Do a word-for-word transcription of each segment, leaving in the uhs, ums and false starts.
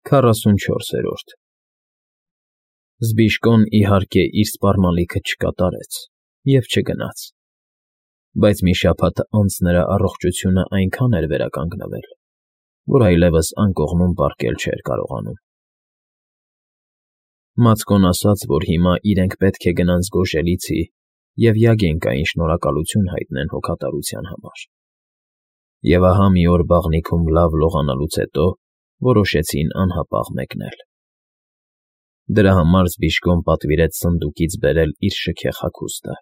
Քառասունչորսերորդ Զբիշկոն, իհարկե, իր սպառնալիքը չկատարեց և չգնաց, բայց մի շաբաթ անց նրա առողջությունն այնքան էր վերականգնվել, որ այլևս անկողնում պառկել չէր կարողանում։ Մացկոն ասաց, որ հիմա իրենք պետք է գնան զգոժելիցի և Յագենկային շնորհակալություն հայտնեն հոգատարության համար։ Եվ ահա մի օր բաղնիքում լավ լողանալուց հետո որոշեցին անհապաղ մեկնել։ Դրա համար Զբիշկոն պատվիրեց սնդուկից բերել իր շքեղ հագուստը,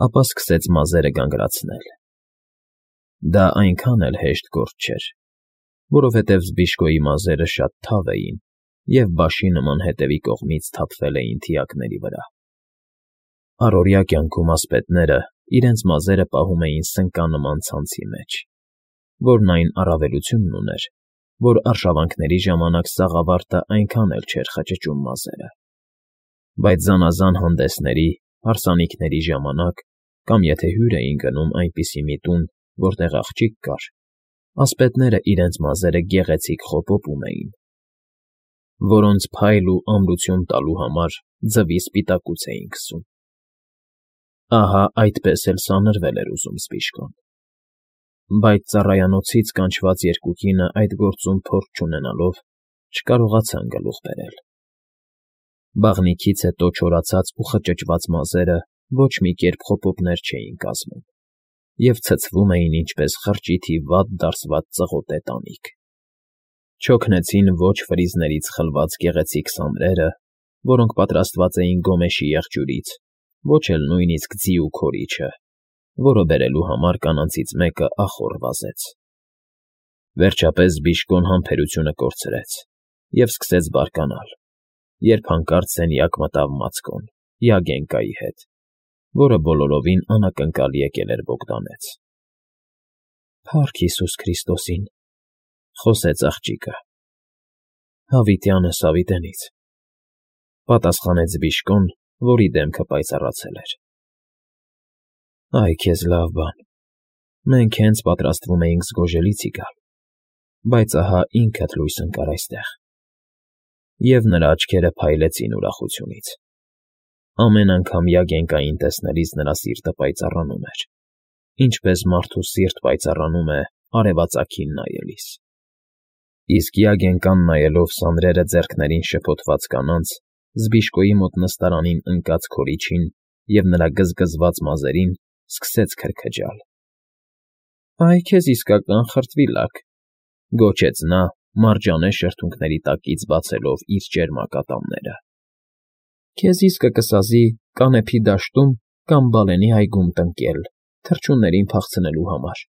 ապա սկսեց մազերը գանգրացնել։ Դա այնքան էլ հեշտ գործ չէր, որովհետև Զբիշկոյի մազերը շատ թավ էին և բաշի նման հետևի կողմից թափվել էին թիակների վրա։ Առօրյա կյանքում ասպետները իրենց մազերը պահում էին սնկանման ցանցի մեջ, որն այն առավելությունն ուներ, որ արշավանքների ժամանակ սաղավարտը այնքան էլ չէր խճճում մազերը, բայց զանազան հանդեսների, հարսանիքների ժամանակ կամ եթե հյուր էին գնում այնպիսի մի տուն, որտեղ աղջիկ կար, ասպետները իրենց մազերը գեղեցիկ խոպոպում էին, որոնց փայլ ու ամրություն տալու համար ձվի սպիտակուց էին քսում։ Ահա այդպես էլ սանրվել էր ուզում Զբիշկոն, բայց ծառայանոցից կանչված երկու կինը այդ գործում փորձ չունենալով չկարողացան գլուխ բերել։ Բաղնիքից հետո չորացած ու խճճված մազերը ոչ մի կերպ խոպոպներ չէին կազմում և ցցվում էին ինչպես խրճիթի վատ դարսված ծղոտե տանիք։ Չօգնեցին ոչ ֆրիզներից խլված գեղեցիկ սամրերը, որոնք պատրաստված էին գոմեշի եղջյուրից, ոչ էլ նույնիսկ ձիու քորիչը, որը բերելու համար կանանցից մեկը ախոռ վազեց։ Վերջապես Զբիշկոն համբերությունը կորցրեց և սկսեց բարկանալ, երբ հանկարծ սենյակ մտավ Մացկոն, Յագենկայի հետ, որը բոլորովին անակնկալ եկել էր Բոգդանից։ ֊ Փառք Հիսուս Քրիստոսին,֊ խոսեց աղջիկը։ ֊ Հավիտյանս հավիտենից,֊ պատասխանեց Զբիշկոն, որի դեմքը պայծառացել էր։ ֊ Այ քեզ լավ բան, մենք հենց պատրաստվում էինք զգոժելիցի գալ, բայց ահա ինքդ լույս ընկար այստեղ… Եվ նրա աչքերը փայլեցին ուրախությունից։ Ամեն անգամ Յագենկային տեսնելիս նրա սիրտը պայծառանում էր, ինչպես մարդու սիրտ պայծառանում է արևածագին նայելիս։ Իսկ Յագենկան նայելով սանրերը ձեռքներին շփոթված կանանց, Զբիշկոյի մոտ նստարանին ընկած քորիչին և նրա գզգզված մազերին, սկսեց քրքջալ։ ֊ Այ քեզ իսկական խրտվիլակ,֊ գոչեց նա, մարջանե շրթունքների տակից բացելով իր ճերմակ ատամները։֊ Քեզ իսկը կսազի Կանեփի դաշտում կամ Բալենի այգում տնկել, թռչուններին փախցնելու համար։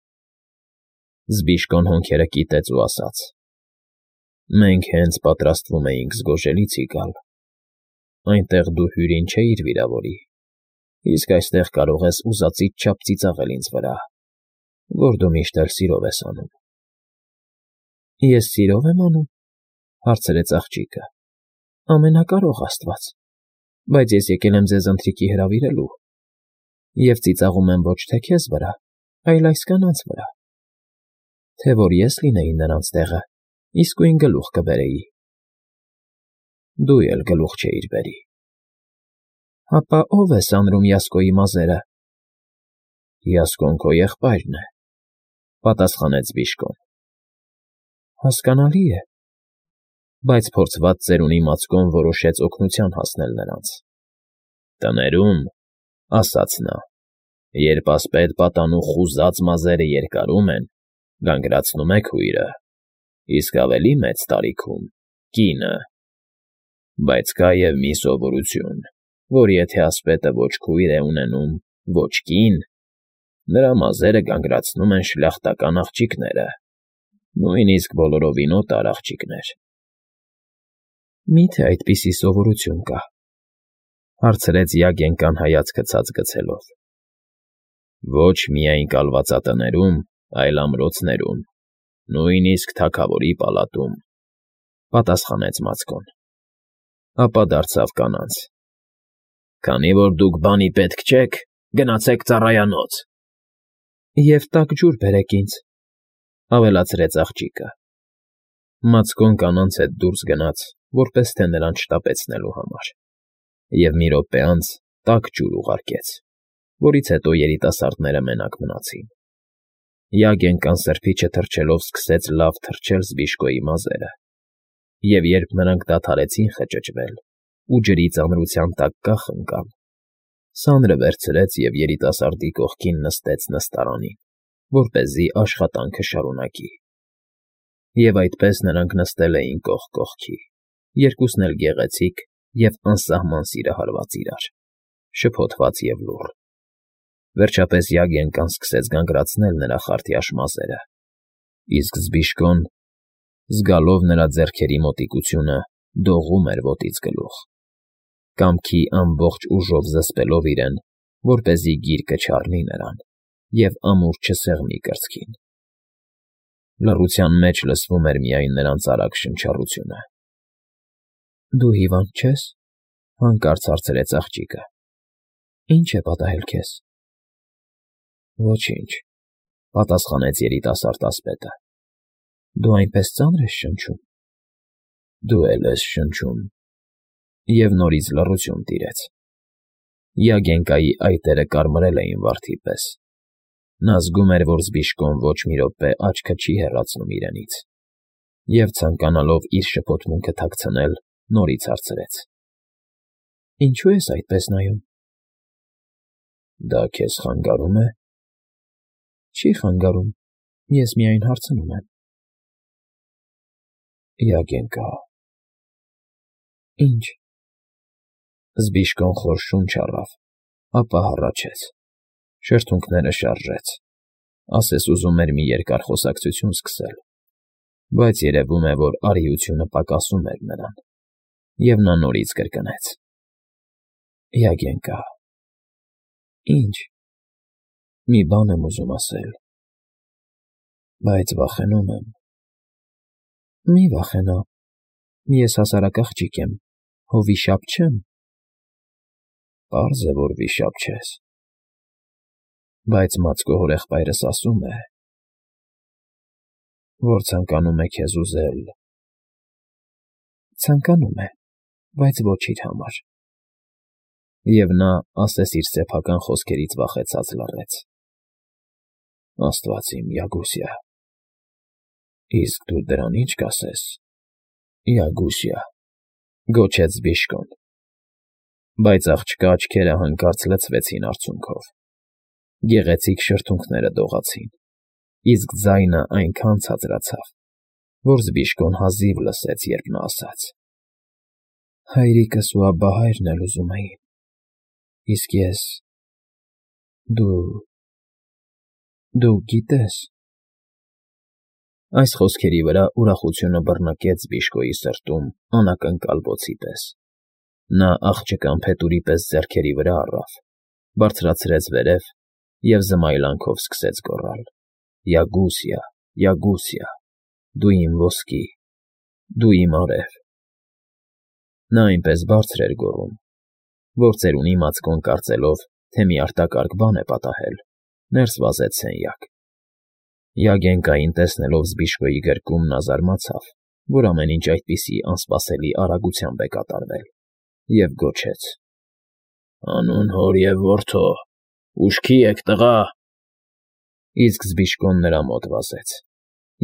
Զբիշկոն հոնքերը կիտեց ու ասաց. «Մենք հենց պատրաստվում էինք զգոժելիցի գալ, այնտեղ դու հյուրին չէիր վիրավորի, իսկ այստեղ կարող ես ուզածիդ չափ ծիծաղել ինձ վրա, որ դու միշտ էլ սիրով ես անում»։ ֊ Ես սիրո՞վ եմ անում,֊ հարցրեց աղջիկը։ ֊ Ամենակարող աստված, բայց ես եկել եմ ձեզ ընթրիքի հրավիրելու և ծիծաղում եմ ոչ թե քեզ վրա, այլ այս կանանց վրա… Թե որ ես լինեի նրանց տեղը, իսկույն գլուխ կբերեի։ ֊ Դու էլ գլուխ չէիր բերի։ ֊ Հապա ո՞վ է սանրում Յասկոյի մազերը։ ֊ Յասկոն քո եղբայրն է,֊ պատասխանեց Զբիշկոն։ ֊ Հասկանալի է, բայց փորձված ծերունի Մացկոն որոշեց օգնության հասնել նրանց։ ֊ Տներում,֊ ասաց նա,֊ երբ ասպետ պատանու խուզած մազերը երկարում են, գանգրացնում է քույրը, իսկ ավելի մեծ տարիքում՝ կինը։ Բայց կա և մի սովորություն, որ եթե ասպետը ոչ քույր է ունենում, ոչ կին, նրա մազերը գանգրացնում են շլյախտական աղջիկները, նույնիսկ բոլորովին օտար աղջիկներ։ ֊ Մի՞թե այդպիսի սովորություն կա,֊ հարցրեց Յագենկան հայացքը ցած գցելով։ ֊ Ոչ միայն կալվածատներում, այլ ամրոցներում, նույնիսկ թագավորի պալատում,֊ պատասխանեց Մացկոն։ Ապա դարձավ կանանց. ֊ Քանի որ դուք բանի պետք չեք, գնացեք ծառայանոց։ ֊ Եվ տաք ջուր բերեք ինձ,֊ ավելացրեց աղջիկը։ Մացկոն կանանց հետ դուրս գնաց, որպես թե նրան շտապեցնելու համար, և մի րոպե անց տաք ջուր ուղարկեց, որից հետո երիտասարդները մենակ մնացին։ Յագենկան սրբիչը թռչելով սկսեց լավ թռչել Զբիշկոյի մազերը, և երբ նրանք դադարեցին խճճվել ու ջրի ծանրության տակ կախ ընկան, սանրը վերցրեց և երիտասարդի կողքին նստեց նստարանին, որպեսզի աշխատանքը շարունակի։ Եվ այդպես նրանք նստել էին կողք կողքի, երկուսն էլ գեղեցիկ և անսահման սիրահարված իրար, շփոթված և լուռ։ Վերջապես Յագենկան սկսեց գանգրացնել նրա խարդյաշ մազերը, իսկ Զբիշկոն, զգալով նրա ձեռքերի մոտիկությունը, դողում էր ոտից գլուխ, կամքի ամբողջ ուժով զսպելով իրեն, որպեսզի գիրկը չառնի նրան և ամուր չսեղմի կրծքին։ Լռության մեջ լսվում էր միայն նրանց արագ շնչառությունը։ ֊ Դու հիվա՞նդ չես,֊ հանկարծ հարցրեց աղջիկը։ ֊ Ի՞նչ է պատահել քեզ։ ֊ Ոչինչ,֊ պատասխանեց երիտասարդ ասպետը։ ֊ Դու այնպես ծա՞նր ես շնչում։ ֊ Դու էլ ես շնչում,֊ և նորից լռություն տիրեց։ Յագենկայի այտերը կարմրել էին վարդի պես։ Նա զգում էր, որ Զբիշկոն ոչ մի րոպե աչքը չի հեռացնում իրենից, և, ցանկանալով իր շփոթմունքը թաքցնել, նորից հարցրեց. ֊ Ինչո՞ւ ես այդպես նայում։ ֊ Դա քեզ խանգարում է։ ֊ Չի խանգարում, ես միայն հարցնում եմ։ ֊ Յագենկա… Ի՞նչ։ Զբիշկոն խոր շունչ առավ, ապա հառաչեց, շրթունքները շարժեց, ասես ուզում էր մի երկար խոսակցություն սկսել, բայց երևում է, որ արիությունը պակասում էր նրան, և նա նորից կրկնեց. ֊ Յագենկա… Ի՞նչ։ ֊ Մի բան եմ ուզում ասել, բայց վախենում եմ։ ֊ Մի վախենա, ես հասարակ աղջիկ եմ, հո վիշապ չեմ։ ֊ Պարզ է, որ վիշապ չես, բայց մացկո հորեղբայրս ասում է, որ ցանկանում է քեզ ուզել։ ֊ Ցանկանում է, բայց ոչ իր համար։ Եվ նա, ասես իր սեփական խոսքերից վախեցած, լռեց։ ֊ Աստված իմ, Յագուսյա… Իսկ դու դրան ի՞նչ կասես, Յագուսյա,֊ գոչեց Զբիշկոն։ Բայց աղջկա աչքերը հանկարծ լցվեցին արցունքով, գեղեցիկ շրթունքները դողացին, իսկ ձայնը այնքան ցածրացավ, որ Զբիշկոն հազիվ լսեց, երբ նա ասաց. ֊ Հայրիկս ու աբահայրն էլ ուզում էին, իսկ ես… Դու… դու գիտես… Այս խոսքերի վրա ուրախությունը բռնկեց Զբիշկոյի սրտում անակնկալ բոցի պես։ Նա աղջկան փետուրի պես ձեռքերի վրա առավ, բարձրացրեց վերև և զմայլանքով սկսեց գոռալ. «Յագուսյա, Յագուսյա, դու իմ ոսկի, դու իմ արև…» Նա այնպես բարձր էր գոռում, որ ծերունի Մացկոն, կարծելով, թե մի արտակարգ բան է պատահել, ներս վազեց սենյակ։ Յագենկային տեսնելով Զբիշկոյի գրկում, նա զարմացավ, որ ամեն ինչ այդպիսի անսպասելի արագությամբ է կատարվել, և գոչեց. ֊ Հանուն հոր և որդու, ուշքի եք, տղա… Իսկ Զբիշկոն նրա մոտ վազեց,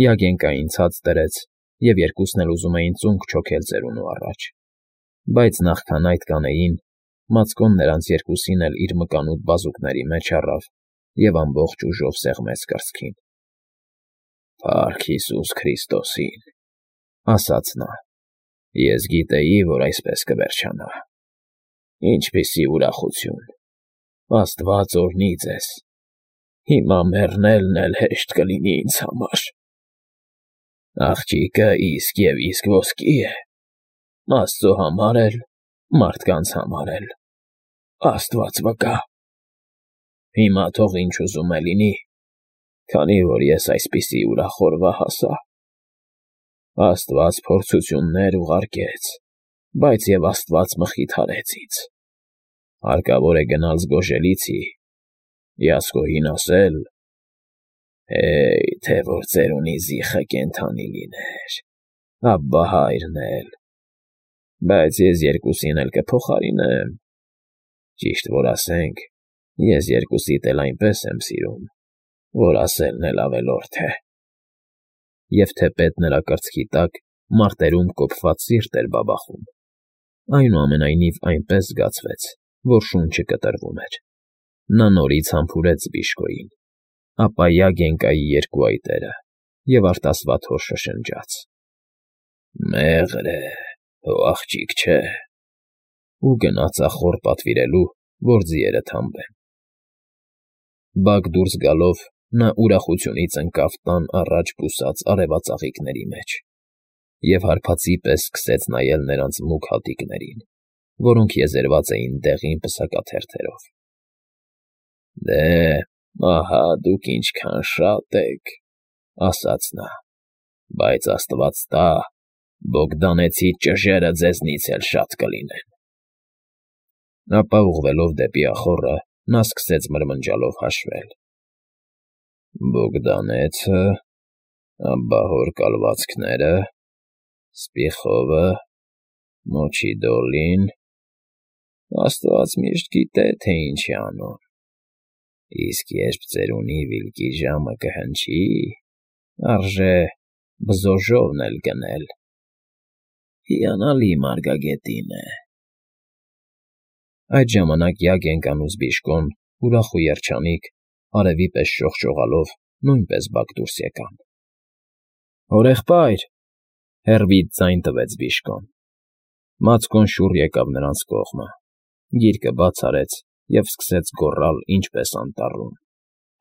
Յագենկային ցած դրեց, և երկուսն էլ ուզում էին ծունկ չոքել ծերունու առաջ, բայց նախքան այդ կանեին, Մացկոն նրանց երկուսին էլ իր մկանուտ բազուկների մեջ առավ և ամբողջ ուժով սեղմեց կրծքին։ ֊ Փառք Հիսուս Քրիստոսին,֊ ասաց նա,֊ ես գիտեի, որ այսպես կվերջանա… Ինչպիսի ուրախություն… Աստված օրհնի ձեզ… Հիմա մեռնելն էլ հեշտ կլինի ինձ համար… Աղջիկը իսկ և իսկ ոսկի է… Աստծո համար էլ, մարդկանց համար էլ… Աստված վկա… Հիմա թող ինչ ուզում է լինի, քանի որ ես այսպիսի ուրախ օրվա հասա… Աստված փորձություններ ուղարկեց, բայց և Աստված մխիթարեց ինձ… Հարկավոր է գնալ զգոժելիցի, Յասկօհին ասել. «Հեյ, թե որ ծերունի զիխը կենդանի լիներ»։ Աբա հայրն էլ… Բայց ես երկուսին էլ կփոխարինեմ… Ճիշտ որ ասենք, ես երկուսիդ էլ այնպես եմ սիրում, որ ասելն էլ ավելորդ է… Եվ թեպետ նրա կրծքի տակ մարտերում կոփված սիրտ էր բաբախում, այնուամենայնիվ այնպես զգացվեց, որ շունչը կտրվում էր… Նա նորից համբուրեց Բիժկոյին, ապա Յագենկայի երկու այտերը և արտասվատ հոր շշնջաց. Մեղր է, հո աղջիկ չէ… ու գնաց ախոռ պատվիրելու, որ ձիերը թամբեն… Բակ դուրս գալով նա ուրախությունից ընկավ տան առաջ բուսած արևածաղիկների մեջ և հարբածի պես սկսեց նայել նրանց մուգ հատիկներին, որոնք եզերված էին դեղին պսակաթերթերով։ ֊ Դե, ահա դուք ինչքան շատ եք,֊ ասաց նա,֊ բայց աստված տա, Բոգդանեցի ճժերը ձեզնից էլ շատ կլինեն… Ապա ուղղվելով դեպի ախոռը նա սկսեց մրմնջալով հաշվել. Բոգդանեցը, ապա հոր կալվածքները, Սպիխովը, Մոչի Դոլին… Աստված միշտ գիտե, թե ինչ է անում… Իսկ երբ ծերունի Վիլկի ժամը կհնչի, արժե բզոժովն էլ գնել… Հիանալի մարգագետին է… Այդ ժամանակ Յագենկան ու Զբիժկոն, ուրախ ու երջանիկ, արևի պես շողշողալով, նույնպես բակ դուրս եկան։ ֊ Հորեղբայր,֊ հեռվից ձայն տվեց Բիժկոն։ Մացկոն շուռ եկավ նրանց կողմը, գիրկը բաց արեց և սկսեց գոռալ ինչպես անտառում.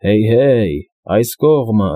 Հեյ, հեյ, այս կողմը։